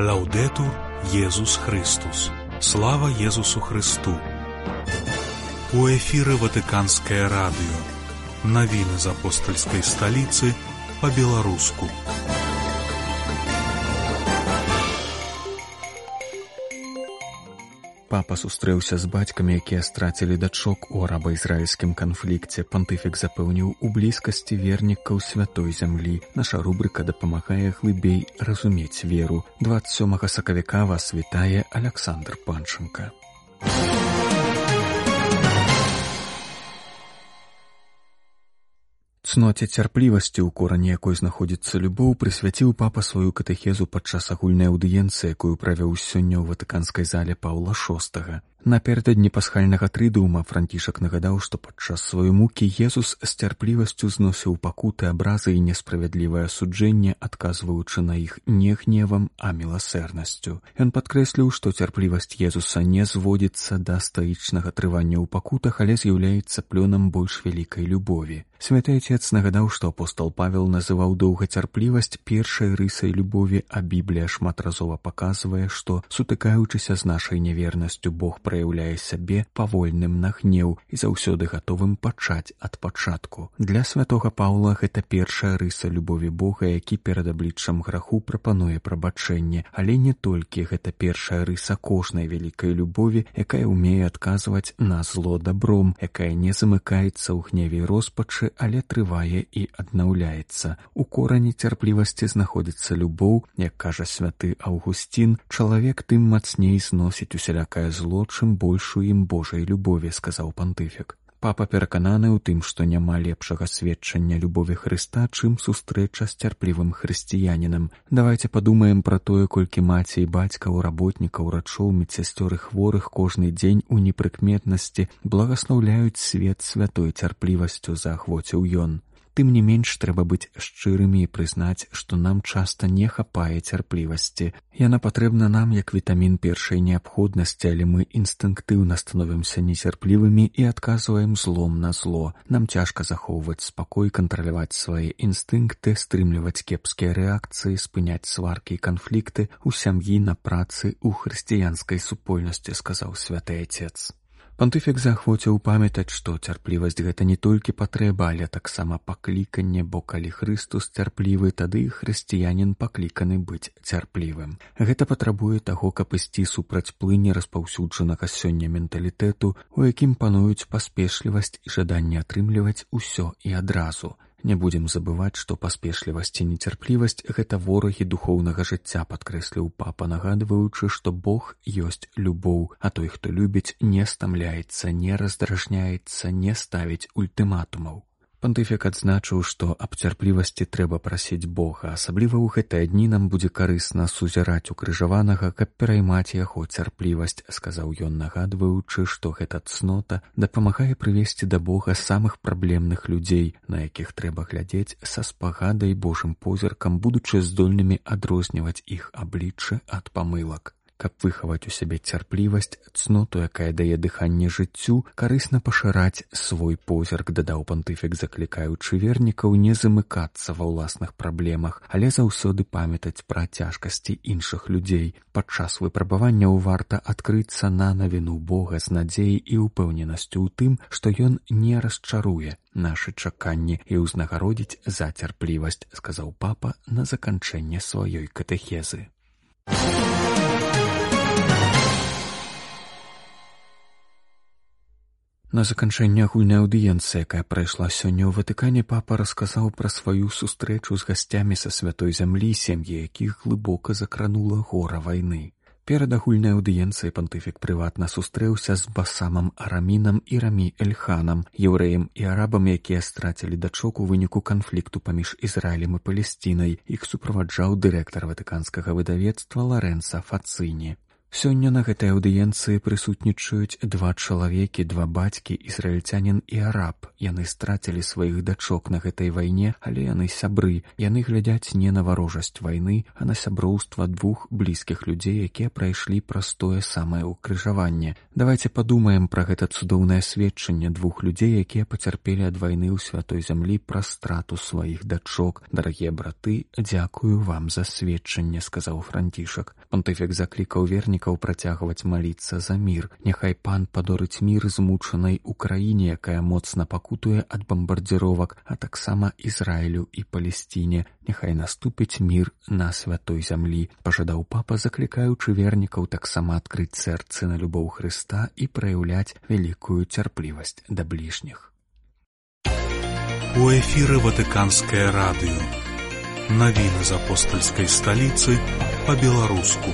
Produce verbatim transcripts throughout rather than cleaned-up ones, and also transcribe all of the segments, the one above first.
Лаўдэтур Езус Христус. Слава Езусу Христу. У эфіры Ватыканскае радыё. Навіны з апостальскай сталіцы па-беларуску. Папа сустрэўся з бацькамі, якія страцілі дачок у араба-ізраільскім канфлікце. Пантыфік запэўніў у блізкасці вернікаў святой зямлі. Наша рубрыка дапамагае глыбей разумець веру. дваццаць сёмага сакавіка вас вітае Аляксандр Панченка. Цноце цярплівасці, у корані якой знаходзіцца любоў, прысвяціў папа сваю катэхезу падчас агульнай аўдыенцыі, якую правёў сёння ў ватыканскай зале Паўла шостага. Напярэдадні пасхальнага трыдуума Францішак нагадаў, што падчас сваёй мукі Езус з цярплівасцю зносіў пакуты, абразы і несправядлівае суджэнне, адказваючы на іх не гневам, а міласэрнасцю. Ён падкрэсліў, што цярплівасць Езуса не зводзіцца да стаічнага трывання ў пакутах, але з'яўляецца плёнам больш вялікай любові. Святы Отец нагадаў, што апостол Павел называў доўгацярплівасць першай рысай любові, а Біблія шматразова паказвае, што, сутыкаючыся з нашай нявернасцю, Бог праяўляе сябе павольным на гнеў і заўсёды гатовым пачаць ад пачатку. Для святога Паўла гэта першая рыса любові Бога, які перад абліччам граху прапануе прабачэнне, але не толькі гэта першая рыса кожнай вялікай любові, якая ўмее адказваць на зло дабром, якая не замыкаецца ў гневе і роспачы, але трывае і аднаўляецца. У корані цярплівасці знаходзіцца любоў, як кажа святы Аўгусцін, чалавек тым мацней зносіць усялякае зло, чым большую ім Божай любові, сказаў пантыфік. Папа перакананы ў тым, што няма лепшага сведчання любові Хрыста, чым сустрэча з цярплівым хрысціянінам. Давайце падумаем пра тое, колькі маці і бацькаў, работнікаў, рачоў, медсясцёр і хворых кожны дзень у непрыкметнасці благаслаўляюць свет святой цярплівасцю, заахвоціў ён. Тым не менш, трэба быць шчырымі і прызнаць, што нам часта не хапае цярплівасці. Яна патрэбна нам як вітамін першай неабходнасці, але мы інстынктыўна становімся нецярплівымі і адказваем злом на зло. Нам цяжка захоўваць спакой, кантраляваць свае інстынкты, стрымліваць кепскія рэакцыі, спыняць сваркі і канфлікты ў сям'і, на працы, у хрысціянскай супольнасці, сказаў святы Отец. Пантыфік заахвоціў памятаць, што цярплівасць гэта не толькі патрэба, але таксама пакліканне, бо калі Хрыстус цярплівы, тады хрысціянін пакліканы быць цярплівым. Гэта патрабуе таго, каб ісці супраць плыні распаўсюджанага сёння менталітэту, у якім пануюць паспешлівасць і жаданне атрымліваць усё і адразу. Не будзем забываць, што паспешлівасць і нецярплівасць – гэта ворагі духоўнага жыцця, падкрэсліў папа, нагадваючы, што Бог ёсць любоў, а той, хто любіць, не стамляецца, не раздражняецца, не ставіць ультыматумаў. Пантыфік адзначыў, што аб цярплівасці трэба прасіць Бога, асабліва ў гэтыя дні нам будзе карысна сузіраць укрыжаванага, каб пераймаць яго цярплівасць, сказаў ён, нагадваючы, што гэта цнота дапамагае прывесці да Бога самых праблемных людзей, на якіх трэба глядзець са спагадай Божым позіркам, будучы здольнымі адрозніваць іх абліччы ад памылак. Каб выхаваць у сябе цярплівасць, цноту, якая дае дыханне жыццю, карысна пашыраць свой позірк, дадаў пантыфік, заклікаючы вернікаў не замыкацца ва ўласных праблемах, але заўсёды памятаць пра цяжкасці іншых людзей. Падчас выпрабаванняў варта адкрыцца на навіну Бога з надзеяй і ўпэўненасцю ў тым, што ён не расчаруе нашы чаканні і ўзнагародзіць за цярплівасць, сказаў папа на заканчэнне сваёй катэхезы. На заканчэнне агульнай аўдыенцыі, якая прайшла сёння ў Ватыкане, папа расказаў пра сваю сустрэчу з гасцямі са святой зямлі, сем'і якіх глыбока закранула гора вайны. Перад агульнай аўдыенцыяй пантыфік прыватна сустрэўся з Басамам Арамінам і Рамі Эльханам, еўрэем і арабам, якія страцілі дачок у выніку канфлікту паміж Ізраілем і Палесцінай. Іх суправаджаў дырэктар ватыканскага выдавецтва Ларэнца Фацыні. Сёння на гэтай аўдыенцыі прысутнічаюць два чалавекі, два бацькі, ізраільцянін і араб. Яны страцілі сваіх дачок на гэтай вайне, але яны сябры. Яны глядзяць не на варожасць вайны, а на сяброўства двух блізкіх людзей, якія прайшлі праз тое самае ўкрыжаванне. Давайце падумаем пра гэта цудоўнае сведчанне двух людзей, якія пацярпелі ад вайны ў святой зямлі праз страту сваіх дачок. Дарагія браты, дзякую вам за сведчанне, сказаў Францішак. Пантыфік заклікаў вернікаў працягваць маліцца за мір. Няхай пан падорыць мір змучанай Украіне, якая моцна пакутуе ад бамбардзіровак, а таксама Ізраілю і Палесціне. Няхай наступіць мір на святой зямлі, пажадаў папа, заклікаючы вернікаў таксама адкрыць сэрцы на любоў Хрыста і праяўляць вялікую цярплівасць да бліжніх. У эфіры Ватыканскае радыё. Навіны з апостальскай сталіцы па-беларуску.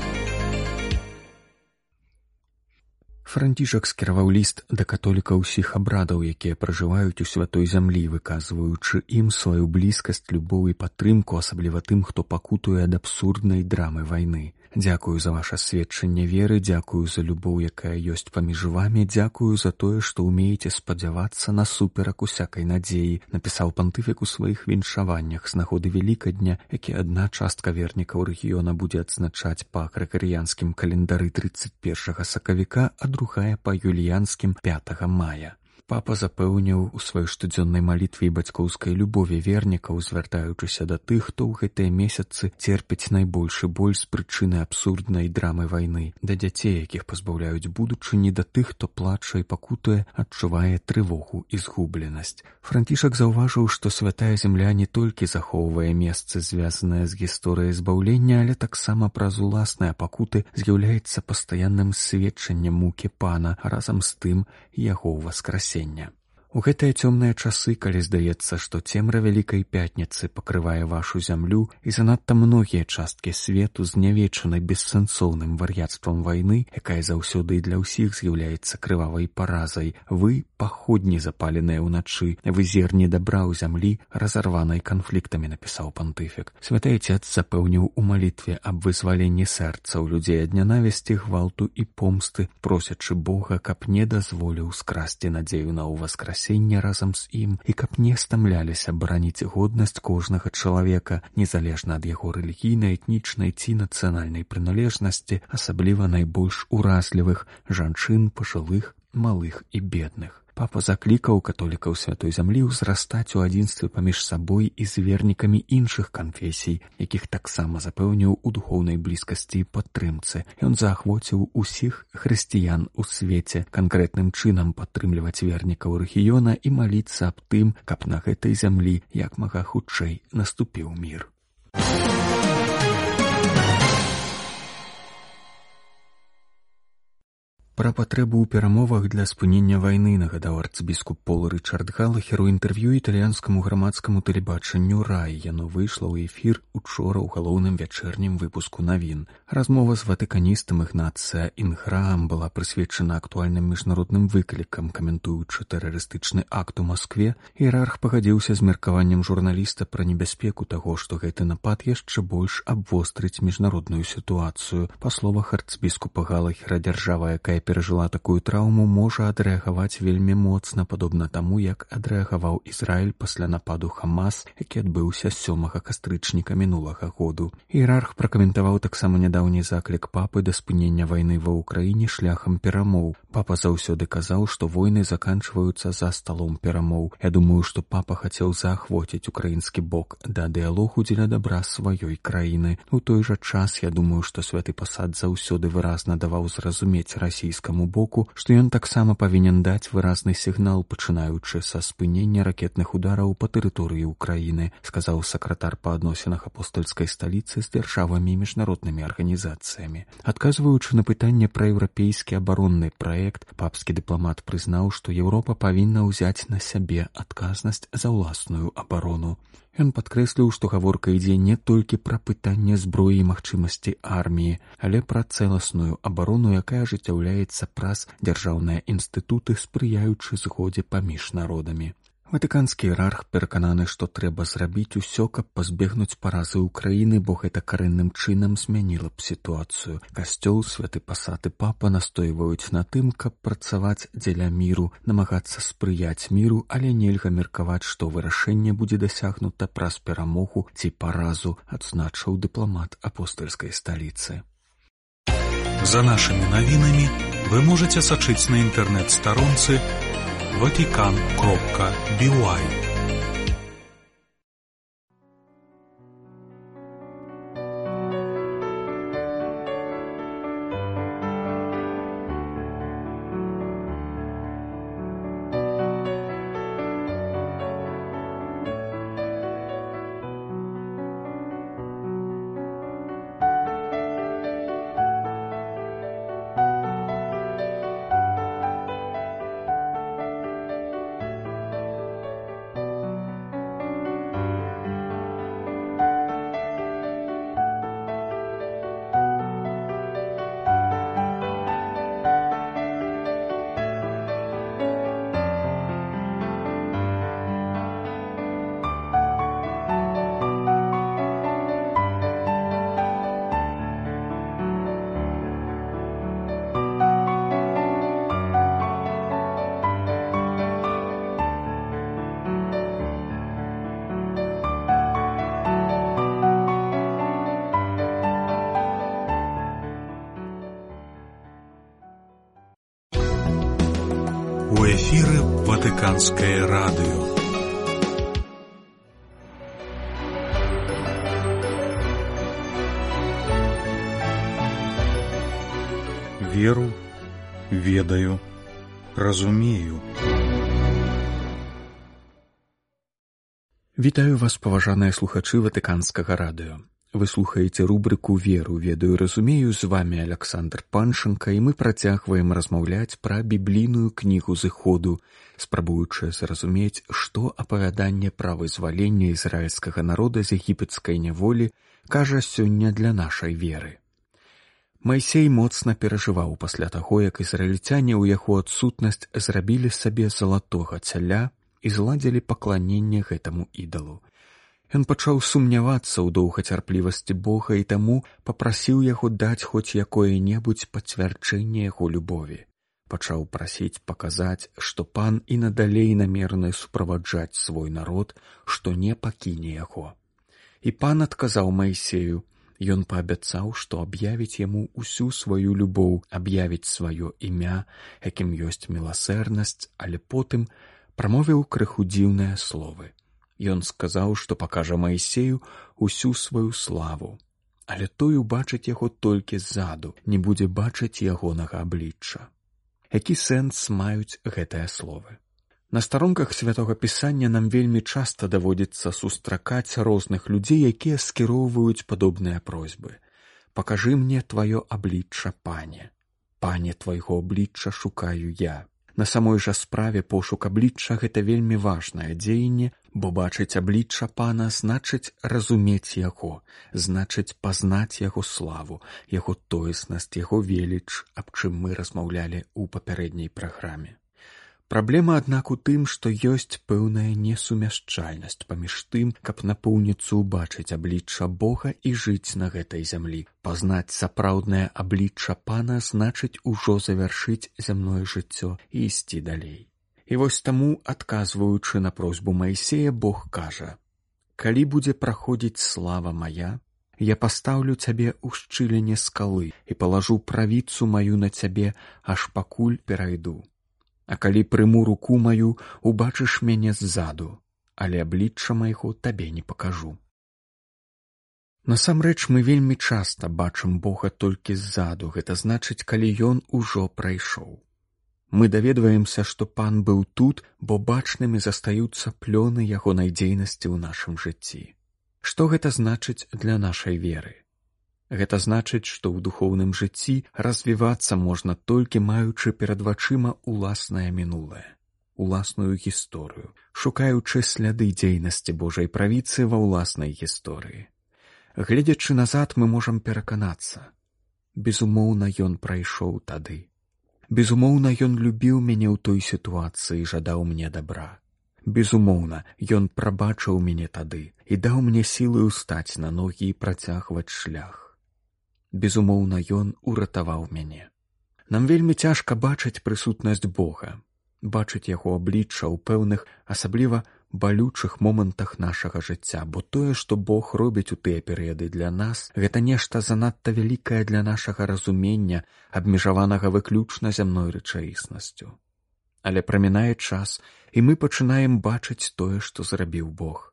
Францішак скіраваў ліст да католікаў усіх абрадаў, якія пражываюць у святой зямлі, выказваючы ім сваю блізкасць, любоў і падтрымку, асабліва тым, хто пакутуе ад абсурднай драмы вайны. Дзякую за ваша сведчанне веры, дзякую за любоў, якая ёсць паміж вамі, дзякую за тое, што ўмееце спадзявацца насуперак усякай надзеі, напісаў пантыфік у сваіх віншаваннях з нагоды Вялікадня, які адна частка вернікаў рэгіёна будзе адзначаць па грыгарыянскім календары трыццаць першага сакавіка, а другая па юліянскім пятага мая. Папа запэўніў у сваёй штодзённай малітве і бацькоўскай любові вернікаў, звяртаючыся да тых, хто ў гэтыя месяцы церпіць найбольшы боль з прычыны абсурднай драмы вайны, да дзяцей, якіх пазбаўляюць будучыні, да тых, хто плача і пакутуе, адчувае трывогу і згубленасць. Францішак заўважыў, што святая зямля не толькі захоўвае месцы, звязаныя з гісторыяй збаўлення, але таксама праз уласныя пакуты з'яўляецца пастаянным сведчаннем мукі пана, а разам з тым яго ўваскрасення. У гэтыя цёмныя часы, калі здаецца, што цемра Вялікай Пятніцы пакрывае вашу зямлю і занадта многія часткі свету знявечаны бессэнсоўным вар'яцтвам вайны, якая заўсёды і для ўсіх з'яўляецца крывавай паразай, вы — паходні, запаленыя ўначы, вы зерні дабра ў зямлі, разарванай канфліктамі, напісаў пантыфік. Святы Отец запэўніў у малітве аб вызваленні сэрцаў людзей ад нянавісці, гвалту і помсты, просячы Бога, каб не дазволіў скрасці надзею на ўваскрасенне разам з ім і каб не стамляліся бараніць годнасць кожнага чалавека, незалежна ад яго рэлігійнай, этнічнай ці нацыянальнай прыналежнасці, асабліва найбольш уразлівых жанчын, пажылых, малых і бедных. Папа заклікаў католікаў святой зямлі ўзрастаць у адзінстве паміж сабой і з вернікамі іншых канфесій, якіх таксама запэўніў у духоўнай блізкасці і падтрымцы. Ён заахвоціў усіх хрысціян у свеце канкрэтным чынам падтрымліваць вернікаў рэгіёна і маліцца аб тым, каб на гэтай зямлі як мага хутчэй наступіў мір. Пра патрэбу ў перамовах для спынення вайны нагадаў арцыбіскуп Пол Рычард Галахер у інтэрв'ю італьянскаму грамадскаму тэлебачанню «Рай». Яно выйшла ў эфір учора ў галоўным вячэрнім выпуску навін. Размова з ватыканістам Ігнацыя Інграам была прысвечана актуальным міжнародным выклікам. Каментуючы тэрарыстычны акт у Маскве, іерарх пагадзіўся з меркаваннем журналіста пра небяспеку таго, што гэты напад яшчэ больш абвострыць міжнародную сітуацыю. Па словах арцыбіскупа Галахера, дзяржава, якая перажыла такую траўму, можа адрэагаваць вельмі моцна, падобна таму, як адрэагаваў Ізраіль пасля нападу Хамас, які адбыўся сёмага кастрычніка мінулага году. Іерарх пракаментаваў таксама нядаўні заклік папы да спынення вайны ва ўкраіне шляхам перамоў. Папа заўсёды казаў, што войны заканчваюцца за сталом перамоў. Я думаю, што папа хацеў заахвоціць украінскі бок да дыялогу дзеля дабра сваёй краіны. У той жа час, я думаю, што святы пасад заўсёды выразна даваў зразумець расійскаму боку, што ён таксама павінен даць выразны сігнал, пачынаючы са спынення ракетных удараў па тэрыторыі ўкраіны, сказаў сакратар па адносінах апостальскай сталіцы з дзяржавамі і міжнароднымі арганізацыямі. Адказваючы на пытанне пра еўрапейскі абаронны праект, папскі дыпламат прызнаў, што Еўропа павінна ўзяць на сябе адказнасць за ўласную абарону. Ён падкрэсліў, што гаворка ідзе не толькі пра пытанне зброі і магчымасці арміі, але пра цэласную абарону, якая ажыццяўляецца праз дзяржаўныя інстытуты, спрыяючы згодзе паміж народамі. Ватыканскі іерарх перакананы, што трэба зрабіць усё, каб пазбегнуць паразы ўкраіны, бо гэта карэнным чынам змяніла б сітуацыю. Касцёл, святы пасад і папа настойваюць на тым, каб працаваць дзеля міру, намагацца спрыяць міру, але нельга меркаваць, што вырашэнне будзе дасягнута праз перамогу ці паразу, адзначыў дыпламат апостальскай сталіцы. За нашымі навінамі вы можаце сачыць на інтэрнэт-старонцы ватикан кропка би уай. Ватиканское радио. Веру, ведаю, разумею. Вітаю вас, паважаныя слухачы Ватыканскага радыё. Вы слухаеце рубрыку «Веру, ведаю, разумею». З вами Александр Паншенко, і мы працягваем размаўляць пра біблійную кнігу зыходу, спрабуючы зразумець, што апавяданне пра вызваленне ізраільскага народа з егіпецкай няволі кажа сёння для нашай веры. Майсей моцна перажываў пасля таго, як ізраільцяне ў яго адсутнасць зрабілі сабе залатога цяля і зладзілі пакланенне гэтаму ідалу. Ён пачаў сумнявацца ў доўгацярплівасці Бога і таму папрасіў яго даць хоць якое-небудзь пацвярджэнне яго любові. Пачаў прасіць паказаць, што пан і надалей намераны суправаджаць свой народ, што не пакіне яго. І пан адказаў Майсею. Ён паабяцаў, што аб'явіць яму ўсю сваю любоў, аб'явіць сваё імя, якім ёсць міласэрнасць, але потым прамовіў крыху дзіўныя словы. Ён сказаў, што пакажа Майсею усю сваю славу, але той убачыць яго толькі ззаду, не будзе бачыць ягонага аблічча. Які сэнс маюць гэтыя словы? На старонках Святога Пісання нам вельмі часта даводзіцца сустракаць розных людзей, якія скіроўваюць падобныя просьбы. «Пакажы мне тваё аблічча, пане. Пане, твайго аблічча шукаю я». На самой жа справе пошук аблічча – гэта вельмі важнае дзеянне, бо бачыць аблічча пана значыць разумець яго, значыць пазнаць яго славу, яго тоеснасць, яго веліч, аб чым мы размаўлялі ў папярэдняй праграме. Праблема, аднак, у тым, што ёсць пэўная несумяшчальнасць паміж тым, каб напоўніцу убачыць аблічча Бога і жыць на гэтай зямлі. Пазнаць сапраўднае аблічча пана значыць ужо завяршыць зямное жыццё і ісці далей. І вось таму, адказваючы на просьбу Майсея, Бог кажа: «Калі будзе праходзіць слава мая, я пастаўлю цябе ў шчыліне скалы і палажу правіцу маю на цябе, аж пакуль перайду. А калі прыму руку маю, убачыш мяне ззаду, але аблічча майго табе не пакажу». Насамрэч, мы вельмі часта бачым Бога толькі ззаду, гэта значыць, калі ён ужо прайшоў. Мы даведваемся, што пан быў тут, бо бачнымі застаюцца плёны яго надзейнасці ў нашым жыцці. Што гэта значыць для нашай веры? Гэта значыць, што ў духоўным жыцці развівацца можна толькі маючы перад вачыма уласнае мінулае, уласную гісторыю, шукаючы сляды дзейнасці Божай правіцы ва ўласнай гісторыі. Гледзячы назад, мы можам пераканацца. Безумоўна, ён прайшоў тады. Безумоўна, ён любіў мяне ў той сітуацыі і жадаў мне дабра. Безумоўна, ён прабачыў мяне тады і даў мне сілы ўстаць на ногі і працягваць шлях. Безумоўна, ён уратаваў мяне. Нам вельмі цяжка бачыць прысутнасць Бога, бачыць яго аблічча ў пэўных, асабліва балючых момантах нашага жыцця, бо тое, што Бог робіць у тыя перыяды для нас, гэта нешта занадта вялікае для нашага разумення, абмежаванага выключна зямной рэчаіснасцю. Але прамінае час, і мы пачынаем бачыць тое, што зрабіў Бог.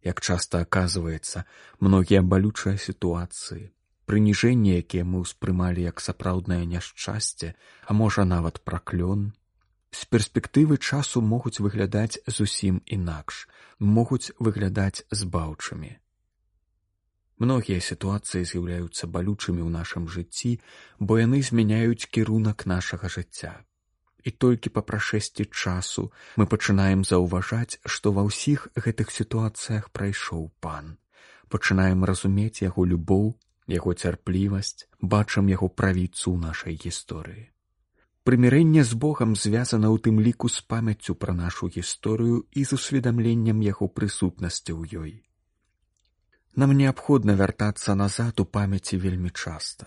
Як часта аказваецца, многія балючыя сітуацыі, прыніжэнні, якія мы ўспрымалі як сапраўднае няшчасце, а можа нават праклён, з перспектывы часу могуць выглядаць зусім інакш, могуць выглядаць збаўчымі. Многія сітуацыі з'яўляюцца балючымі ў нашым жыцці, бо яны змяняюць кірунак нашага жыцця. І толькі па прашэсці часу мы пачынаем заўважаць, што ва ўсіх гэтых сітуацыях прайшоў пан. Пачынаем разумець яго любоў, яго цярплівасць, бачым яго правіцу ў нашай гісторыі. Прымірэнне з Богам звязана ў тым ліку з памяццю пра нашу гісторыю і з усведамленнем яго прысутнасці ў ёй. Нам неабходна вяртацца назад у памяці вельмі часта.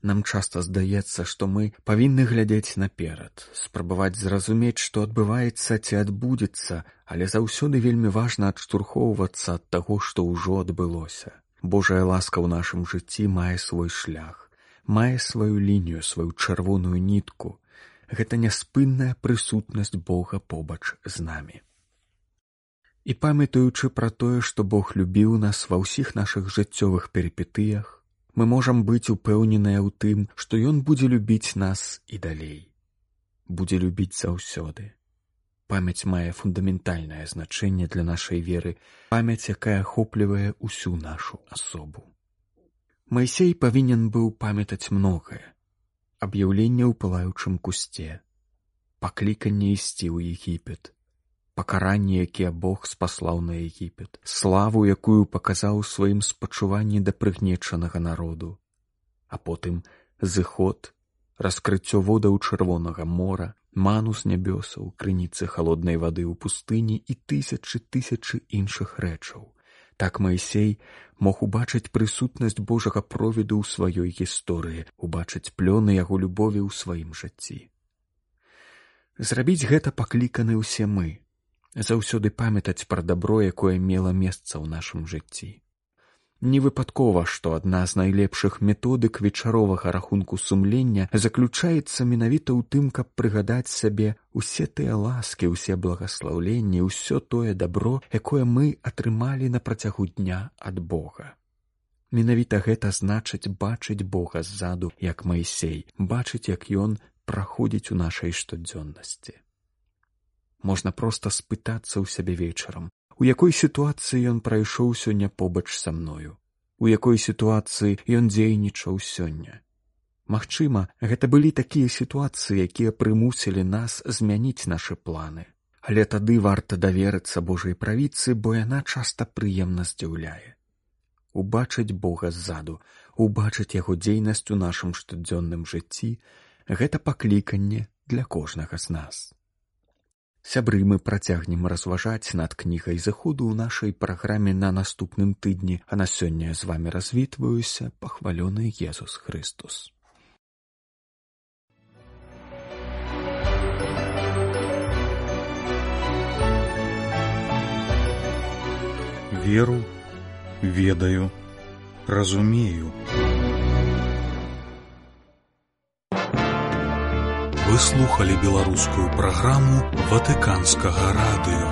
Нам часта здаецца, што мы павінны глядзець наперад, спрабаваць зразумець, што адбываецца ці адбудзецца, але заўсёды вельмі важна адштурхоўвацца ад таго, што ўжо адбылося. Божая ласка ў нашым жыцці мае свой шлях, мае сваю лінію, сваю чырвоную нітку. гэта няспынная прысутнасць Бога побач з намі. І памятаючы пра тое, што Бог любіў нас ва ўсіх нашых жыццёвых перыпетыях, мы можам быць упэўненыя ў тым, што Ён будзе любіць нас і далей. Будзе любіць заўсёды. Памяць мае фундаментальнае значэнне для нашай веры, памяць, якая ахоплівае ўсю нашу асобу. Майсей павінен быў памятаць многае. Аб'яўленне ў пылаючым кусце, пакліканне ісці ў Егіпет, пакаранне, якія Бог спаслаў на Егіпет, славу, якую паказаў у сваім спачуванні да прыгнечанага народу, а потым зыход, раскрыццё водаў Чырвонага мора, ману з нябёсаў, крыніцы халоднай вады ў пустыні і тысячы тысячы іншых рэчаў. Так Майсей мог убачыць прысутнасць Божага провіду ў сваёй гісторыі, убачыць плёны яго любові ў сваім жыцці. Зрабіць гэта пакліканы ўсе мы, заўсёды памятаць пра дабро, якое мела месца ў нашым жыцці. Не выпадкова, што адна з найлепшых методык вечаровага рахунку сумлення заключаецца менавіта ў тым, каб прыгадаць сабе усе тыя ласкі, усе благаслаўленні, ўсё тое дабро, якое мы атрымалі на працягу дня ад Бога. Менавіта гэта значыць бачыць Бога ззаду, як Майсей, бачыць, як Ён праходзіць у нашай штодзённасці. Можна проста спытацца ў сябе вечарам, у якой сітуацыі ён прайшоў сёння побач са мною, у якой сітуацыі ён дзейнічаў сёння. Магчыма, гэта былі такія сітуацыі, якія прымусілі нас змяніць нашы планы. Але тады варта даверыцца Божай правіцы, бо яна часта прыемна здзіўляе. Убачыць Бога ззаду, убачыць яго дзейнасць у нашым штодзённым жыцці — гэта пакліканне для кожнага з нас. Сябры, мы працягнем разважаць над кнігай зыходу ў нашай праграме на наступным тыдні, а на сёння з вамі развітваюся, пахвалёны Езус Христос. Веру, ведаю, разумею. Вы слухали беларускую праграму Ватыканскага радыё.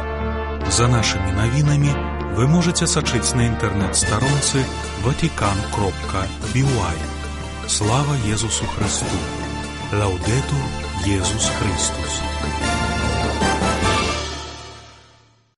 За нашымі навінамі вы можаце сачыць на інтэрнэт-старонцы ватикан кропка би уай. Слава Езусу Христу! Лаўдэтур Езус Христус!